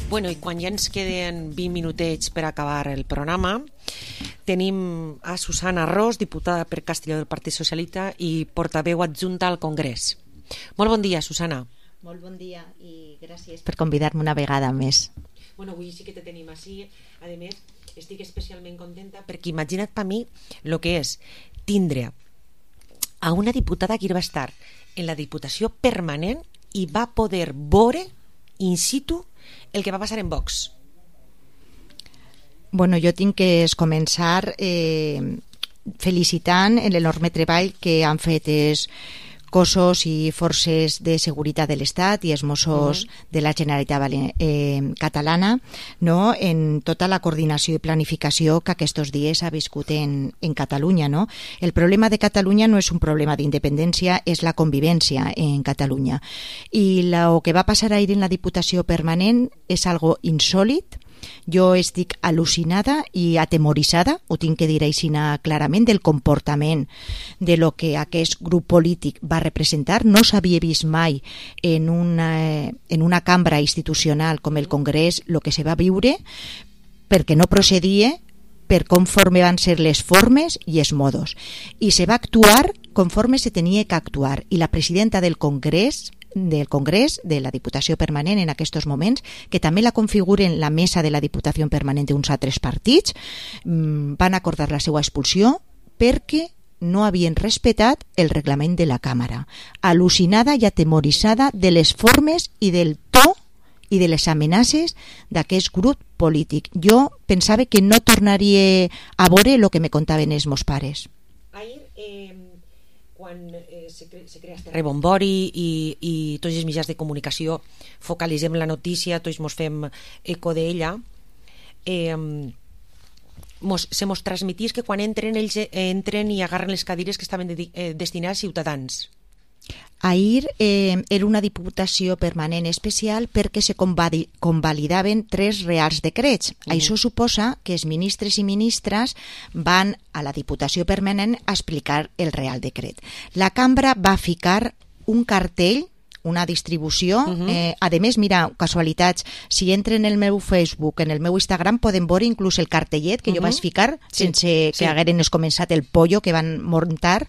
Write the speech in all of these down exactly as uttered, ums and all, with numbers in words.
Bueno, i quan ja ens queden vint minutets per acabar el programa, tenim a Susana Ros, diputada per Castelló del Partit Socialista i portaveu adjunta al Congrés. Molt bon dia, Susana. Molt bon dia i gràcies per convidar-me una vegada més. Bueno, avui sí que te tenim així. A més, estic especialment contenta perquè imagina't per mi el que és tindre a una diputada que va estar en la Diputació Permanent i va poder veure in situ el que va passar en Vox. Bueno, jo tinc que començar eh, felicitant l'enorme treball que han fet els cossos i forces de seguretat de l'Estat i els Mossos uh-huh. de la Generalitat eh, catalana, no? En tota la coordinació i planificació que aquests dies ha viscut en, en Catalunya. No? El problema de Catalunya no és un problema d'independència, és la convivència en Catalunya. I el que va passar ahir en la Diputació Permanent és algo insòlit. Jo estic al·lucinada i atemoritzada, ho tinc que dir així clarament, del comportament de lo que aquest grup polític va representar. No s'havia vist mai en una, en una cambra institucional com el Congrés el que se va viure, perquè no procedia per conforme van ser les formes i els modos. I se va actuar conforme se tenia que actuar. I la presidenta del Congrés del Congrés, de la Diputació Permanent en aquests moments, que també la configuren la mesa de la Diputació Permanent d'uns altres partits, van acordar la seva expulsió perquè no havien respectat el reglament de la Càmera. Al·lucinada i atemoritzada de les formes i del to i de les amenaces d'aquest grup polític. Jo pensava que no tornaria a veure el que me contaven els meus pares. Ahir, eh... quan eh, se, cre se crea este rebombori i, i tots els mitjans de comunicació focalitzem la notícia, tots mos fem eco d'ella, eh, mos, se mos transmitís que quan entren ells entren i agarren les cadires que estaven de, eh, destinades a ciutadans. Ahir eh, era una diputació permanent especial perquè se convalidaven tres reals decrets. Uh-huh. Això suposa que els ministres i ministres van a la diputació permanent a explicar el real decret. La cambra va ficar un cartell, una distribució, uh-huh. eh, a més, mira, casualitats, si entren en el meu Facebook, en el meu Instagram, poden veure inclús el cartellet que uh-huh. jo vaig ficar, sí. sense que sí. hagueren començat el pollo que van muntar,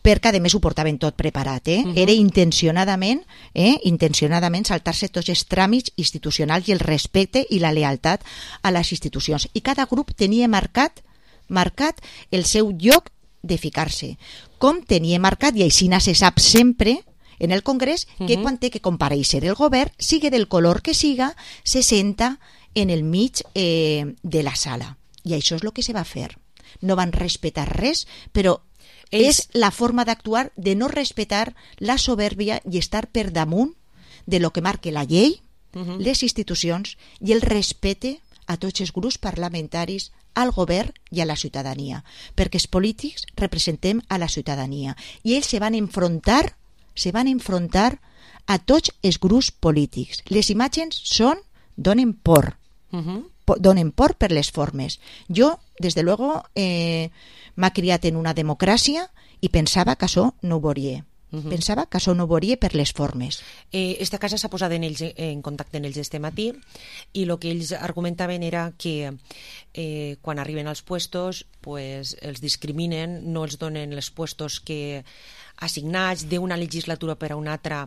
perquè a més ho portaven tot preparat. Eh? Uh-huh. Era intencionadament, eh, intencionadament saltar-se tots els tràmits institucionals i el respecte i la lealtat a les institucions. I cada grup tenia marcat, marcat el seu lloc de ficar-se. Com tenia marcat, i així se sap sempre, en el Congrés, que uh-huh. quan té que comparèixer el govern, sigui del color que siga, se senta en el mig eh, de la sala. I això és el que se va fer. No van respectar res, però Ells... és la forma d'actuar de no respectar la soberbia i estar per damunt de lo que marque la llei, uh-huh. les institucions i el respecte a tots els grups parlamentaris, al govern i a la ciutadania. Perquè els polítics representem a la ciutadania. I ells se van enfrontar se van enfrontar a tots els grups polítics. Les imatges són, donen por, uh-huh. po, donen por per les formes. Jo, des de luego, eh, m'ha criat en una democràcia i pensava que això no ho veuria. Uh-huh. Pensava que això no ho veuria per les formes. Eh, esta casa s'ha posat en, ells, en contacte amb ells este matí i el que ells argumentaven era que eh, quan arriben als puestos pues, els discriminen, no els donen els puestos que assignats d'una legislatura per a una altra.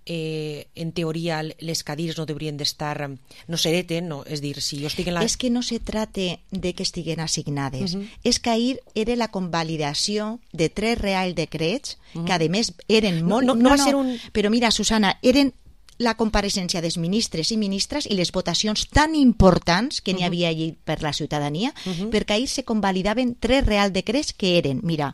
Eh, en teoria les cadires no deurien d'estar, no s'hereten, no? És dir, si jo estic en la... És que no se trata de que estiguen assignades, uh-huh. és que ahir era la convalidació de tres real decrets, uh-huh. que a més eren molt... No, no, no, no va ser un... Però mira, Susana, eren la compareixença dels ministres i ministres i les votacions tan importants que n'hi havia allí per la ciutadania, uh-huh. perquè ahir se convalidaven tres real decrets que eren, mira,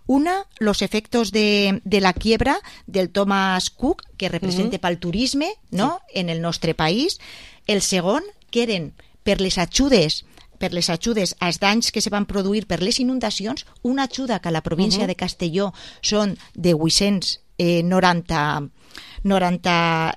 una, los efectos de, de la quiebra del Thomas Cook, que representa uh-huh. pel turisme, no?, sí. en el nostre país. El segon, que eren per les ajudes per les ajudes als danys que se van produir per les inundacions, una ajuda que a la província uh-huh. de Castelló són de vuit-cents noranta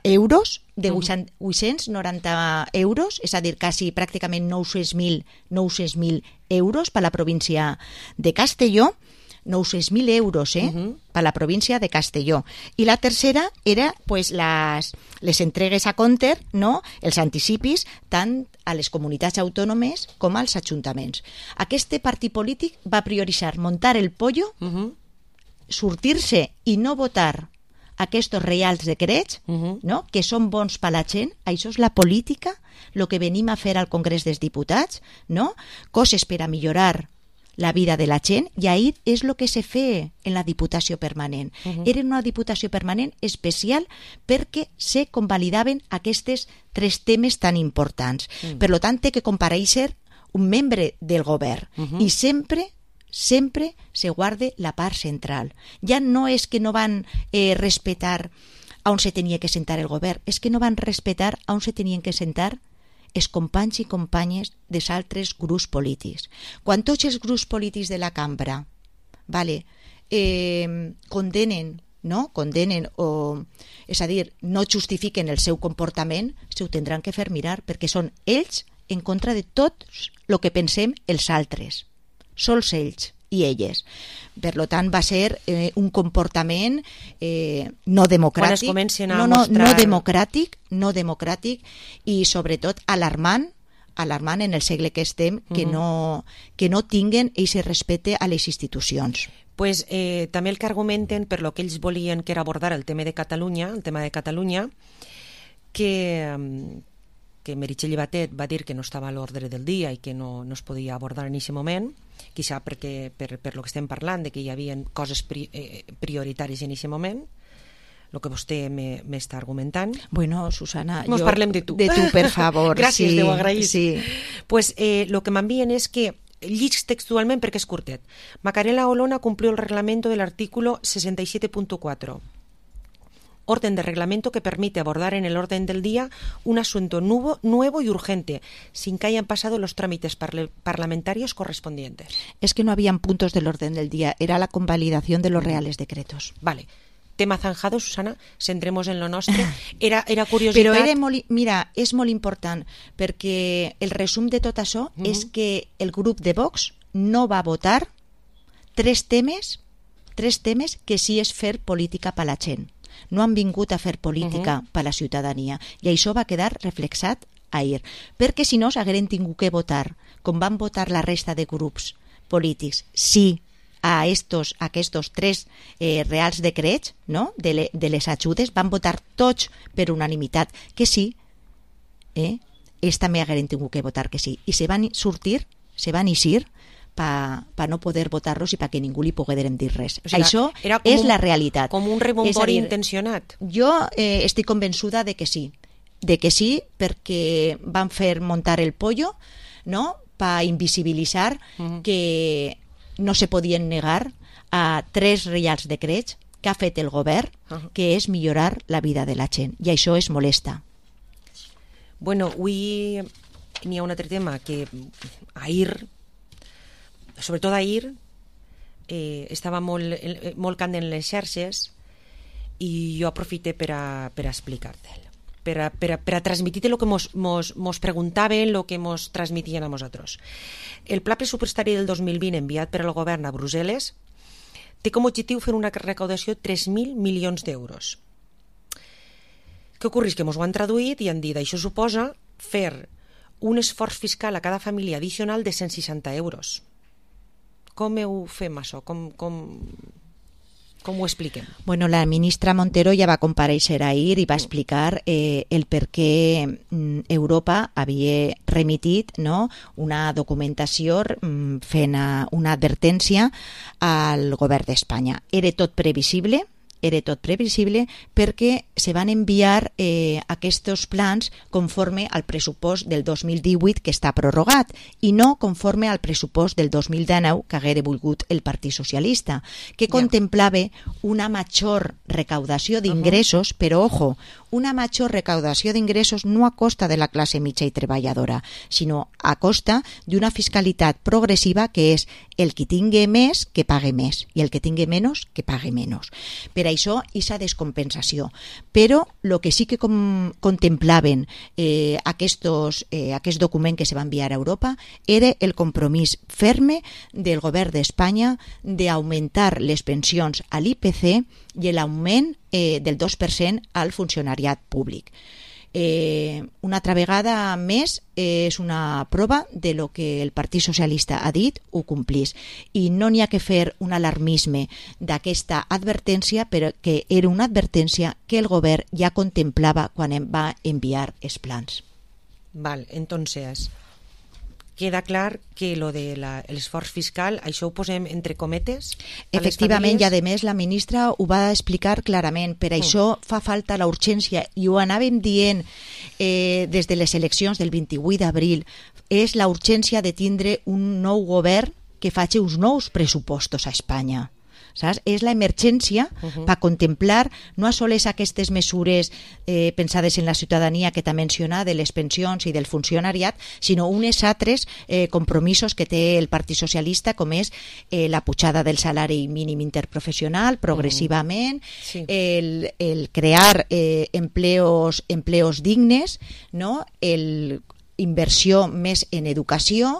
euros, de vuit-cents noranta euros, és a dir, quasi pràcticament nou-cents mil euros per la província de Castelló. nou-cents mil euros, eh? Uh-huh. Per la província de Castelló. I la tercera era pues, les, les entregues a compte, no? Els anticipis, tant a les comunitats autònomes com als ajuntaments. Aquest partit polític va prioritzar muntar el pollo, uh-huh. sortir-se i no votar aquests reals decrets, uh-huh. no? Que són bons per la gent. Això és la política, el que venim a fer al Congrés dels Diputats, no? Coses per a millorar la vida de la gent, i ahir és el que se fe en la Diputació Permanent. Uh-huh. Era una Diputació Permanent especial perquè se convalidaven aquests tres temes tan importants. Uh-huh. Per tant, té que comparèixer un membre del govern. Uh-huh. I sempre sempre se guarde la part central. Ja no és que no van eh, respetar on se tenia que sentar el govern, és que no van respetar on se tenien que sentar els companys i companyes dels altres grups polítics. Quan tots els grups polítics de la cambra vale, eh, condenen, no? condenen o, és a dir, no justifiquen el seu comportament, se ho tindran que fer mirar, perquè són ells en contra de tot el que pensem els altres. Sols ells i elles. Per tant, va ser eh, un comportament eh, no democràtic, quan es comencen a no, no, mostrar... no democràtic, no democràtic i sobretot alarmant, alarmant en el segle que estem, que, uh-huh. no, que no tinguen aquest respecte a les institucions. Pues, eh, també el que argumenten per lo que ells volien que era abordar el tema de Catalunya, el tema de Catalunya, que... que Meritxell Batet va dir que no estava a l'ordre del dia i que no, no es podia abordar en aquest moment, quizà perquè, per, per lo que estem parlant, de que hi havia coses pri, eh, prioritàries en aquest moment, el que vostè m'està argumentant. Bueno, Susana, Mos jo... parlem de tu. De tu, per favor. Gràcies, sí, Déu agraït. Sí. Pues eh, lo que m'envien és que, llig textualment perquè és curtet, Macarela Olona cumplió el reglamento del artículo sesenta y siete punto cuatro. Orden de reglamento que permite abordar en el orden del día un asunto nuevo, nuevo y urgente, sin que hayan pasado los trámites parle, parlamentarios correspondientes. Es que no habían puntos del orden del día, era la convalidación de los reales decretos. Vale. Tema zanjado, Susana, centremos en lo nostre. Era, era curiositat... Però era molt, mira, és molt important, perquè el resum de tot això mm-hmm. és que el grup de Vox no va votar tres temes, tres temes que sí és fer política per la gent. No han vingut a fer política uh-huh. per la ciutadania, i això va quedar reflexat ahir, perquè si no s'hagueren tingut que votar, com van votar la resta de grups polítics, sí a estos, a aquests tres eh, reals decrets, no? de, le, de les ajudes, van votar tots per unanimitat que sí, eh? ells també hagueren tingut que votar que sí, i se van sortir, se van eixir per pa no poder votar-los i perquè ningú li poguérem dir res. O sigui, això és un, la realitat. Com un rebombori intencionat. Jo eh, estic convençuda de que sí, de que sí, perquè van fer muntar el pollo, no?, per invisibilitzar uh-huh. que no se podien negar a tres reials decrets que ha fet el govern, uh-huh. que és millorar la vida de la gent, i això és molesta. Bueno, avui n'hi ha un altre tema que ahir, sobretot ahir, eh, estava molt, molt candent en les xarxes i jo aprofité per a, per a explicar-te'l, per a, per a, per a transmitir el que mos, mos, mos preguntaven, el que mos transmitien a nosaltres. El pla pressupostari del dos mil vint enviat per al govern a Brussel·les té com a objectiu fer una recaudació de tres mil milions d'euros. Què ocorre? Que mos ho han traduït i han dit això suposa fer un esforç fiscal a cada família addicional de cent seixanta euros. Com ho fem, això? Com, com, com ho expliquem? Bueno, la ministra Montero ja va comparèixer ahir i va explicar eh, el per què Europa havia remitit, no?, una documentació mm, fent una advertència al govern d'Espanya. Era tot previsible, era tot previsible perquè se van enviar eh, aquests plans conforme al pressupost del dos mil divuit que està prorrogat i no conforme al pressupost del dos mil dinou que haguera volgut el Partit Socialista, que yeah. contemplava una major recaudació d'ingressos, uh-huh. però ojo, una major recaudació d'ingressos no a costa de la classe mitja i treballadora, sinó a costa d'una fiscalitat progressiva que és el que tingui més que pague més i el que tingui menys que pague menys. Per això, aquesta descompensació. Però el que sí que com, contemplaven eh, aquests, eh, aquest document que se va enviar a Europa era el compromís ferme del govern d'Espanya d'augmentar les pensions a l'I P C i l'augment eh, del dos per cent al funcionariat públic. Eh, una altra vegada més eh, és una prova de lo que el Partit Socialista ha dit, ho complís, i no n'hi ha que fer un alarmisme d'aquesta advertència, però que era una advertència que el govern ja contemplava quan em va enviar els plans. Val, entonces queda clar que lo de l'esforç fiscal, això ho posem entre cometes? Efectivament, i a més la ministra ho va explicar clarament. Per això fa falta la urgència, i ho anàvem dient eh, des de les eleccions del vint-i-vuit d'abril, és la urgència de tindre un nou govern que faci uns nous pressupostos a Espanya. Saps? És l'emergència uh-huh. per contemplar no sols aquestes mesures eh, pensades en la ciutadania que t'ha mencionat, de les pensions i del funcionariat, sinó unes altres eh, compromisos que té el Partit Socialista, com és eh, la pujada del salari mínim interprofessional progressivament, uh-huh. sí. el, el crear eh, empleos, empleos dignes, no? El inversió més en educació,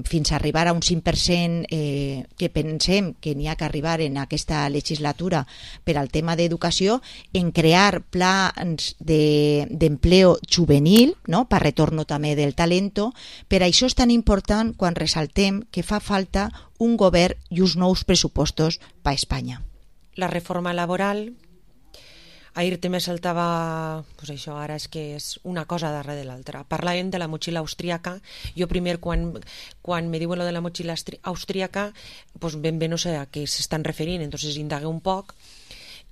fins a arribar a un cinc per cent eh, que pensem que n'hi ha que arribar en aquesta legislatura per al tema d'educació, en crear plans d'empleo de, juvenil, no? Per retorno també del talento. Per això és tan important quan ressaltem que fa falta un govern i uns nous pressupostos per a Espanya. La reforma laboral, ahir també saltava, pues això ara és que és una cosa darrere de l'altra. Parlàvem de la motxilla austríaca. Jo primer, quan, quan me diuen lo de la motxilla austríaca, pues ben bé no sé a què s'estan referint, entonces indagué un poc,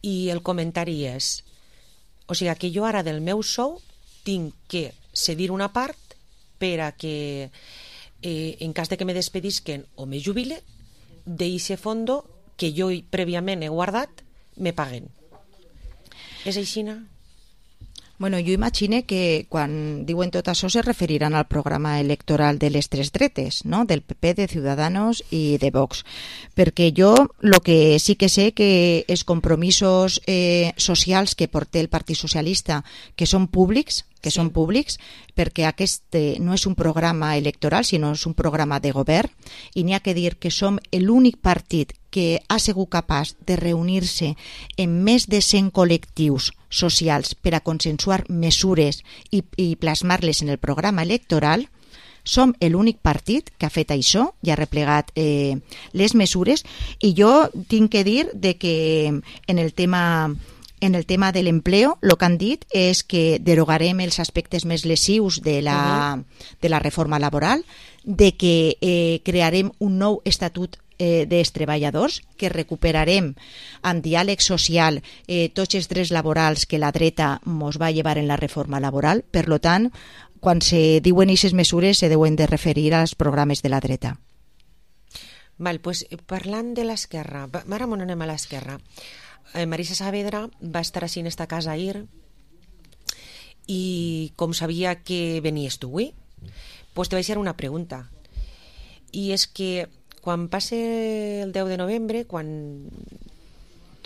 i el comentari és, o sigui, que jo ara del meu sou tinc que cedir una part per a que, eh, en cas de que me despedisquen o me jubile, d'eixe fondo que jo prèviament he guardat, me paguen. És aixina? Bueno, jo imagine que quan diuen tot això se referiran al programa electoral de les tres dretes, no? Del P P, de Ciudadanos i de Vox. Perquè jo el que sí que sé que els compromisos eh, socials que porta el Partit Socialista, que són públics, que sí. són públics, perquè aquest eh, no és un programa electoral, sinó és un programa de govern, i n'hi ha que dir que som l'únic partit que ha sigut capaç de reunir-se en més de cent col·lectius socials per a consensuar mesures i, i plasmar-les en el programa electoral. Som l'únic partit que ha fet això i ha replegat eh, les mesures, i jo tinc que dir de que en el tema en el tema de l'empleo, el que han dit és que derogarem els aspectes més lesius de la, uh-huh. de la reforma laboral, de que eh, crearem un nou estatut eh, dels treballadors, que recuperarem amb diàleg social eh, tots els drets laborals que la dreta mos va llevar en la reforma laboral. Per lo tant, quan se diuen aquestes mesures se deuen de referir als programes de la dreta. Val, pues, parlant de l'esquerra, ara m'on anem a l'esquerra. Eh, Marisa Saavedra va estar així en esta casa ahir, i com sabia que venies tu avui, pues te vaig fer una pregunta, i és que quan passe el deu de novembre, quan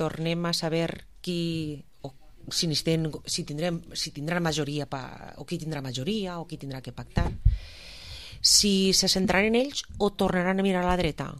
tornem a saber qui o si, ten, si, tindrem, si tindrà majoria pa, o qui tindrà majoria o qui tindrà que pactar, si se centraran en ells o tornaran a mirar a la dreta?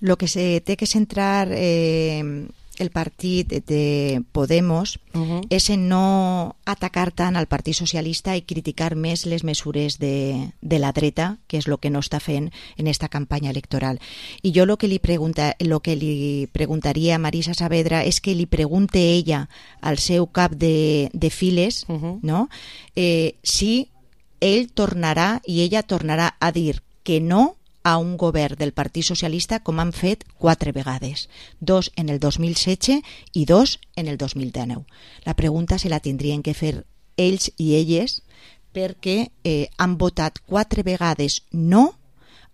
Lo que se té que centrar eh, el partit de Podemos uh-huh. és en no atacar tant al Partit Socialista i criticar més les mesures de, de la dreta, que és el que no està fent en esta campanya electoral. I jo el que li, pregunta, lo que li preguntaria a Marisa Saavedra és que li pregunte ella al seu cap de, de files uh-huh. no? eh, si ell tornarà i ella tornarà a dir que no a un govern del Partit Socialista, com han fet quatre vegades, dos en el dos mil setze i dos en el dos mil dinou. La pregunta se la tindrien que fer ells i elles, perquè eh, han votat quatre vegades no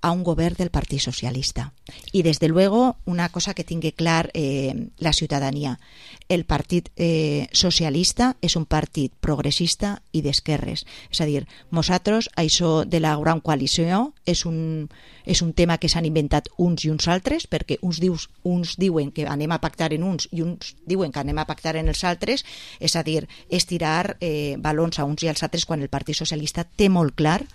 a un govern del Partit Socialista. Y desde luego, una cosa que tingui clar eh, la ciutadania, el Partit eh, Socialista és un partit progressista i d'esquerres. És a dir, nosaltres, això de la gran coalició és un, és un tema que s'han inventat uns i uns altres, perquè uns, dius, uns diuen que anem a pactar en uns i uns diuen que anem a pactar en els altres, és a dir, és tirar eh, balons a uns i als altres quan el Partit Socialista té molt clar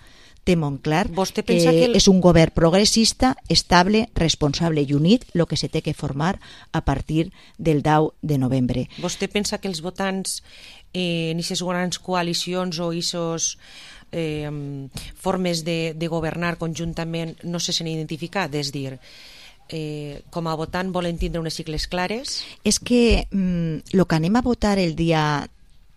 té molt clar Vostè que, pensa que el... és un govern progressista, estable, responsable i unit, el que se té que formar a partir del deu de novembre. Vostè pensa que els votants eh, en aquestes grans coalicions o aquestes eh, formes de, de governar conjuntament no se s'han identificat? És dir, eh, com a votant volen tindre unes sigles clares? És que el mm, que anem a votar el dia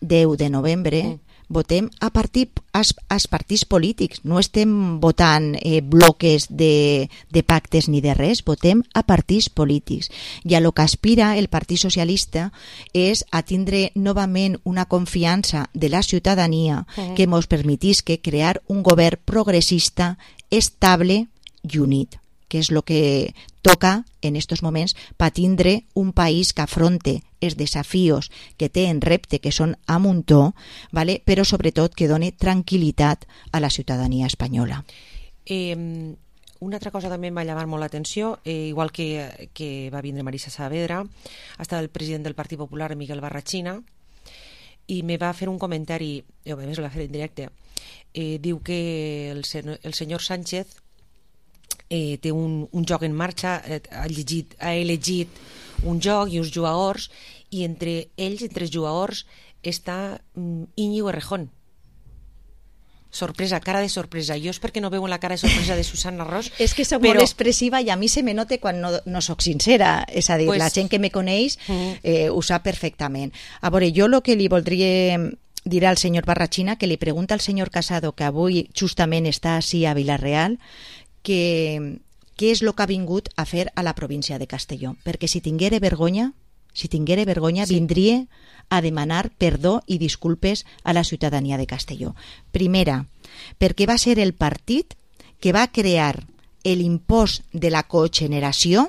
deu de novembre... Mm. votem a partit, als, als partits polítics, no estem votant eh, bloques de, de pactes ni de res, votem a partits polítics. I a lo que aspira el Partit Socialista és a tindre novament una confiança de la ciutadania uh-huh. que ens permetisca crear un govern progressista, estable i unit, que és el que toca en estos moments per tindre un país que afronte els desafios que té en repte, que són a muntó, ¿vale? Però sobretot que doni tranquil·litat a la ciutadania espanyola. Eh, una altra cosa també em va llamar molt l'atenció, eh, igual que, que va vindre Marisa Saavedra, ha estat el president del Partit Popular, Miguel Barrachina, i me va fer un comentari, i a més el va fer en directe, eh, diu que el, sen el senyor Sánchez eh, té un, un joc en marxa, eh, ha, llegit, ha elegit un joc i uns jugadors, i entre ells, entre els jugadors, està mm, Íñigo Errejón. Sorpresa, cara de sorpresa. Jo és perquè no veu la cara de sorpresa de Susana Ros. És que soc però... molt expressiva i a mi se me nota quan no, no soc sincera. És a dir, pues... la gent que me coneix eh, ho sap perfectament. A veure, jo el que li voldria dir al senyor Barrachina, que li pregunta al senyor Casado, que avui justament està així a Vila-real, que què és el que ha vingut a fer a la província de Castelló, perquè si tinguera vergonya, si tinguera vergonya, sí. vindria a demanar perdó i disculpes a la ciutadania de Castelló. Primera, perquè va ser el partit que va crear l'impost de la cogeneració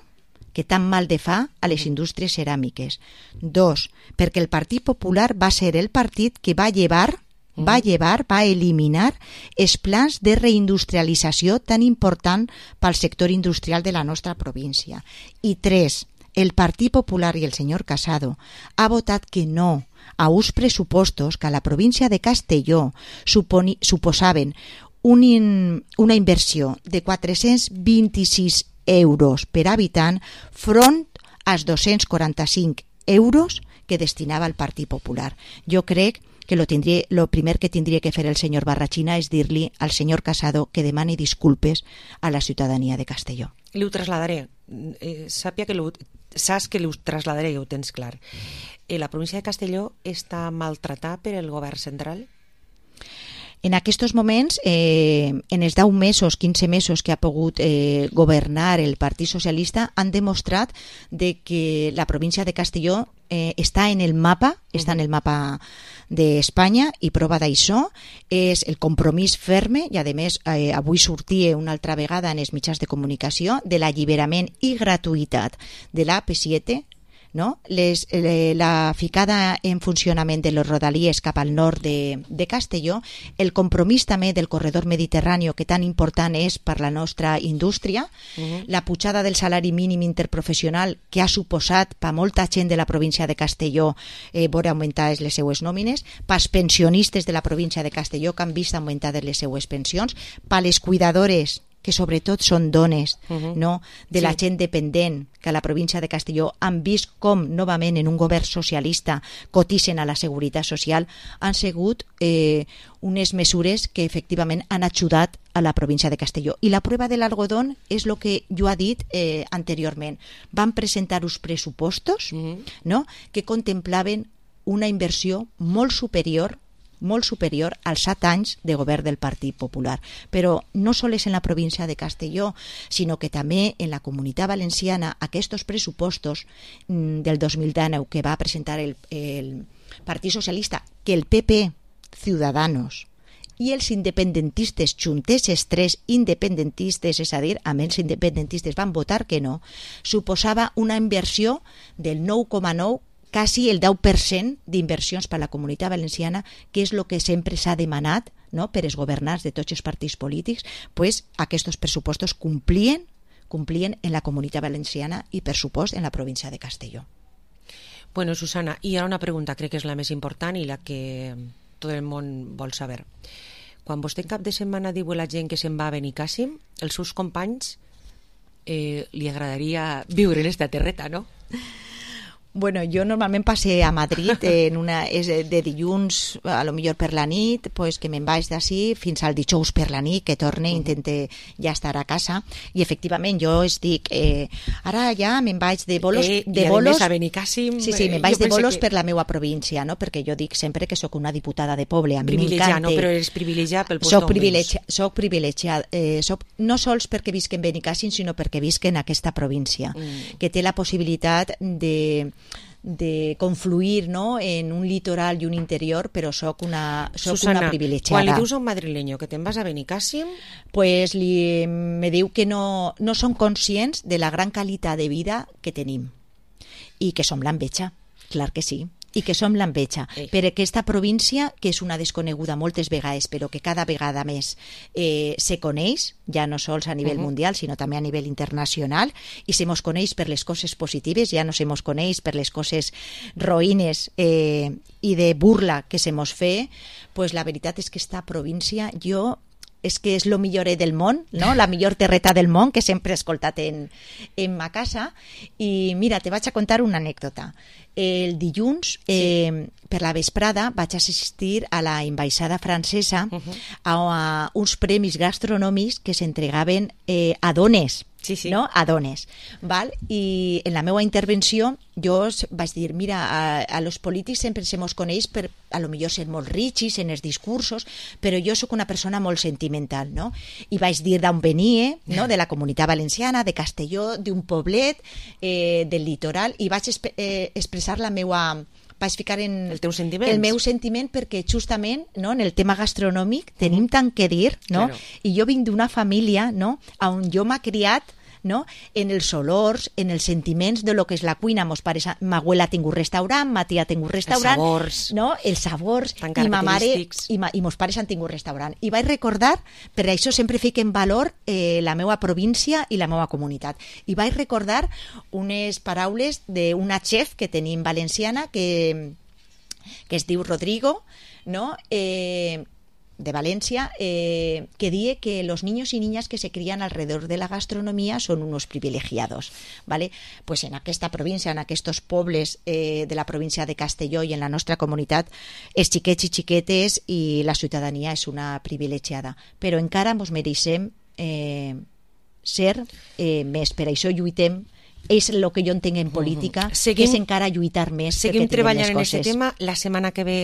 que tan mal de fa a les indústries ceràmiques. Dos, perquè el Partit Popular va ser el partit que va llevar va llevar, va eliminar els plans de reindustrialització tan important pel sector industrial de la nostra província. I tres, el Partit Popular i el senyor Casado ha votat que no a uns pressupostos que a la província de Castelló suponi, suposaven un in, una inversió de quatre-cents vint-i-sis euros per habitant front als dos-cents quaranta-cinc euros que destinava el Partit Popular. Jo crec que lo, tindria, lo primer que tindria que fer el senyor Barrachina és dir-li al senyor Casado que demani disculpes a la ciutadania de Castelló. Li ho trasladaré. Eh, sàpia que lo, saps que li ho trasladaré i ho tens clar. Eh, la província de Castelló està maltratada per el govern central? En aquests moments, eh, en els deu mesos, quinze mesos que ha pogut eh, governar el Partit Socialista, han demostrat de que la província de Castelló eh, està en el mapa, està en el mapa d'Espanya, i prova d'això és el compromís ferme, i a més eh, avui sortia una altra vegada en els mitjans de comunicació, de l'alliberament i gratuïtat de l'A P set, no? Les, eh, la ficada en funcionament de les rodalies cap al nord de, de Castelló, el compromís també del corredor mediterrani que tan important és per la nostra indústria, uh-huh. la pujada del salari mínim interprofessional que ha suposat per molta gent de la província de Castelló eh, veure augmentades les seues nòmines, pels pensionistes de la província de Castelló que han vist augmentades les seues pensions, per les cuidadores que sobretot són dones, uh-huh. no? de sí. la gent dependent, que a la província de Castelló han vist com, novament, en un govern socialista cotitzen a la Seguretat Social, han sigut eh, unes mesures que efectivament han ajudat a la província de Castelló. I la prova de l'algodón és el que jo ha dit eh, anteriorment. Van presentar uns pressupostos uh-huh. no? que contemplaven una inversió molt superior molt superior als set anys de govern del Partit Popular. Però no sols en la província de Castelló, sinó que també en la Comunitat Valenciana aquests pressupostos del dos mil dinou que va presentar el, el Partit Socialista, que el P P, Ciudadanos i els independentistes juntes, els tres independentistes, és a dir, amb els independentistes van votar que no, suposava una inversió del nou coma nou, quasi el deu per cent d'inversions per a la Comunitat Valenciana, que és el que sempre s'ha demanat, no?, per els governants de tots els partits polítics, pues aquests pressupostos complien, complien en la Comunitat Valenciana i, per supost, en la província de Castelló. Bueno, Susana, hi ha una pregunta, crec que és la més important i la que tot el món vol saber. Quan vostè en cap de setmana diu a la gent que se'n va a Benicàssim, els seus companys eh, li agradaria viure en esta terreta, no? Bueno, jo normalment passe a Madrid en una, és de dilluns a lo millor per la nit, pues que me'n vaig d'ací fins al dijous per la nit, que torne, uh-huh. intente ja estar a casa, i efectivament jo es dic, eh, ara ja me'n vaig de bolos, eh, de i bolos, a Benicàssim, sí, sí, me'n vaig de bolos que... per la meva província, no? Perquè jo dic sempre que sóc una diputada de poble, a mi m'encanta. No, però eres privilegiat pel post soc privilegiat, soc privilegiat, eh, soc, no sols perquè visc en Benicàssim, sinó perquè visc en aquesta província, mm. que té la possibilitat de de confluir, no?, en un litoral i un interior, però sóc una, soc Susana, una privilegiada. Quan li dius a un madrileño que te'n vas a Benicàssim... Pues li, me diu que no, no són conscients de la gran qualitat de vida que tenim i que som l'enveja, clar que sí, i que som l'enveja, eh. per aquesta província que és una desconeguda moltes vegades, però que cada vegada més eh, se coneix, ja no sols a nivell uh-huh. mundial, sinó també a nivell internacional, i se mos coneix per les coses positives, ja no se mos coneix per les coses roïnes eh, i de burla que se mos fe, pues la veritat és que esta província jo és que és el millor del món, no? La millor terreta del món, que sempre he escoltat en, en ma casa. I mira, te vaig a contar una anècdota. El dilluns, eh, sí. per la vesprada, vaig assistir a la ambaixada francesa uh-huh. a, a uns premis gastronòmics que s'entregaven eh, a dones, sí, sí. no? A dones. Val? I en la meva intervenció jo vaig dir, mira, a, a los polítics sempre se mos coneix per, a lo millor ser molt rics en els discursos, però jo sóc una persona molt sentimental, no? I vaig dir d'on venia, no? De la Comunitat Valenciana, de Castelló, d'un poblet, eh, del litoral, i vaig esp- eh, expressar la meua... vaig ficar en el, teu el meu sentiment perquè justament, no, en el tema gastronòmic tenim tant que dir, no? Claro. I jo vinc d'una família, no, on jo m'ha criat, no? En els olors, en els sentiments de lo que és la cuina. Mos pares, ma abuela ha tingut restaurant, ma tia ha tingut restaurant, els sabors, no? Els sabors, i ma mare i, ma, i mos pares han tingut restaurant. I vaig recordar, per això sempre fic en valor eh, la meva província i la meva comunitat. I vaig recordar unes paraules d'una chef que tenim valenciana que, que es diu Rodrigo, no? Eh, de Valencia, eh, que dice que los niños y niñas que se crían alrededor de la gastronomía son unos privilegiados, ¿vale? Pues en aquesta província, en aquests pobles eh, de la província de Castelló i en la nostra comunitat, els xiquets i xiquetes i la ciutadania és una privilegiada, però encara mos mereixem eh, ser eh, més, per això lluitem. És el que jo entenc en política, seguim, que és encara lluitar més. Seguim treballant en aquest tema. La setmana que ve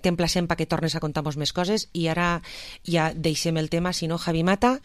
t'emplacem perquè tornes a contar-nos més coses i ara ja deixem el tema. Si no, Javi Mata,